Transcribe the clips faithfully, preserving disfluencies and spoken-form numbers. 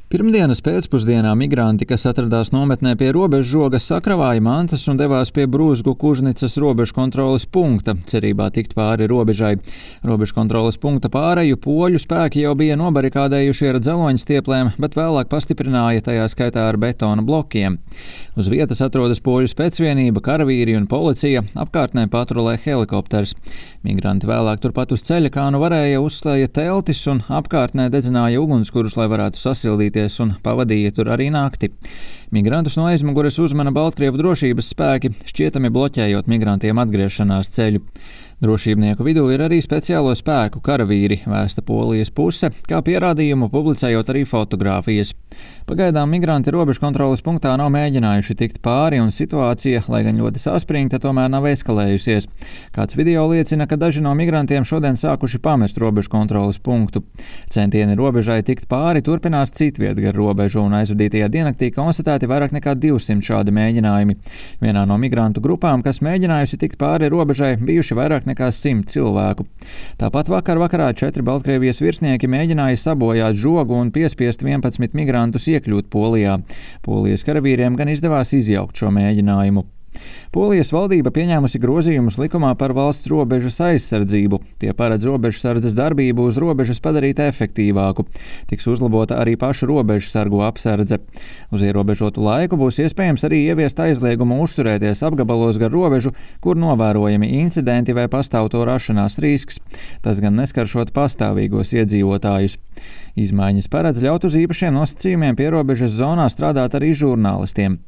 Pirmdienas pēcpusdienā migranti, kas atradās nometnē pie robežžoga, sakravāja mantas un devās pie Brūzgu Kužnicas robežkontroles punkta, cerībā tikt pāri robežai. Robežkontroles punkta pāreju poļu spēki jau bija nobarikādējuši ar dzeloņstieplēm, bet vēlāk pastiprināja, tajā skaitā ar betona blokiem. Uz vietas atrodas poļu specvienība, karavīri un policija, apkārtnē patrulē helikopters. Migranti vēlāk turpat uz ceļa, kā nu varēja, uzslēja teltis un apkārtnē dedzināja ugunskurus, lai varētu sasildīties, un pavadīja tur arī nakti. Migrantus no aizmugures uzmana Baltkrievu drošības spēki, šķietami bloķējot migrantiem atgriešanās ceļu. Drošībnieku vidū ir arī speciālo spēku karavīri, vēsta Polijas puse, kā pierādījumu publicējot arī fotogrāfijas. Pagaidām migranti robežkontroles punktā nav mēģinājuši tikt pāri, un situācija, lai gan ļoti saspringta, tomēr nav eskalējusies. Kāds video liecina, ka daži no migrantiem šodien sākuši pamest robežkontroles punktu. Centieni robežai tikt pāri turpinās citviet gar robežu, un aizvadītajā diennaktī konstatēti vairāk nekā divsimt šādi mēģinājumi. Vienā no migrantu grupām, kas mēģinājusi tikt pāri robežai, bijuši vairāk nekā simt cilvēku. Tāpat vakar vakarā četri Baltkrievijas virsnieki mēģināja sabojāt žogu un piespiest vienpadsmit migrantus iekļūt Polijā. Polijas karavīriem gan izdevās izjaukt šo mēģinājumu. Polijas valdība pieņēmusi grozījumus likumā par valsts robežas aizsardzību. Tie paredz robežsardzes darbību uz robežas padarīt efektīvāku. Tiks uzlabota arī pašu robežsargu apsardze. Uz ierobežotu laiku būs iespējams arī ieviest aizliegumu uzturēties apgabalos gar robežu, kur novērojami incidenti vai pastāv to rašanās risks. Tas gan neskaršot pastāvīgos iedzīvotājus. Izmaiņas paredz ļaut uz īpašiem nosacījumiem pierobežas zonā strādāt arī žurnālistiem.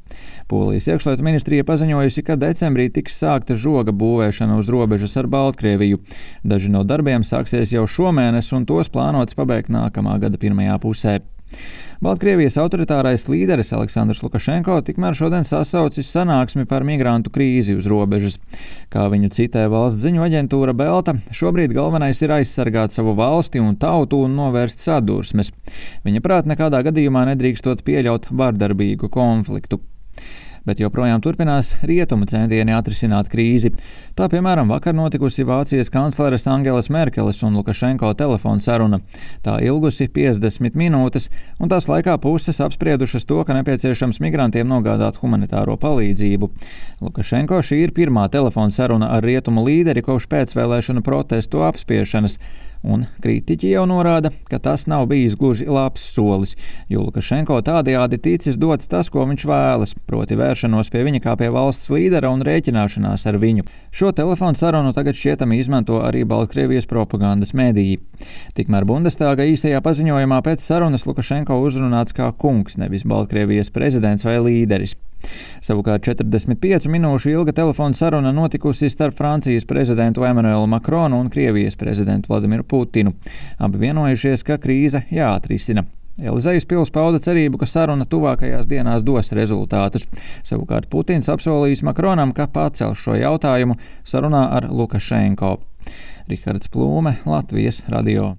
Polijas iekšlietu ministrija paziņojusi, ka decembrī tiks sākta žoga būvēšana uz robežas ar Baltkrieviju. Daži no darbiem sāksies jau šomēnes, un tos plānots pabeigt nākamā gada pirmajā pusē. Baltkrievijas autoritārais līderis Aleksandrs Lukašenko tikmēr šodien sasaucis sanāksmi par migrantu krīzi uz robežas. Kā viņu citē valsts ziņu aģentūra Belta, šobrīd galvenais ir aizsargāt savu valsti un tautu un novērst sadursmes. Viņa prāt nekādā gadījumā nedrīkstot pieļaut vardarbīgu konfliktu. Bet joprojām turpinās rietumu centieni atrisināt krīzi. Tā, piemēram, vakar notikusi Vācijas kancleres Angelas Merkeles un Lukašenko telefona saruna. Tā ilgusi piecdesmit minūtes, un tās laikā puses apspriedušas to, ka nepieciešams migrantiem nogādāt humanitāro palīdzību. Lukašenko šī ir pirmā telefona saruna ar rietumu līderi kopš pēcvēlēšanu protestu apspiešanas. Un kritiķi jau norāda, ka tas nav bijis gluži labs solis, jo Lukašenko tādējādi ticis dots tas, ko viņš vēlas, proti vēršanos pie viņa kā pie valsts līdera un rēķināšanās ar viņu. Šo telefonu sarunu tagad šķietami izmanto arī Baltkrievijas propagandas mediji. Tikmēr Bundestāga īsajā paziņojumā pēc sarunas Lukašenko uzrunāts kā kungs, nevis Baltkrievijas prezidents vai līderis. Savukārt četrdesmit piecu minūšu ilga telefona saruna notikusi starp Francijas prezidentu Emmanuelu Macronu un Krievijas prezidentu Vladimiru Putinu. Abi vienojušies, ka krīze jāatrisina. Elizejas pils pauda cerību, ka saruna tuvākajās dienās dos rezultātus. Savukārt Putins apsolījis Macronam, ka pacels šo jautājumu sarunā ar Lukašenko. Rihards Plūme, Latvijas radio.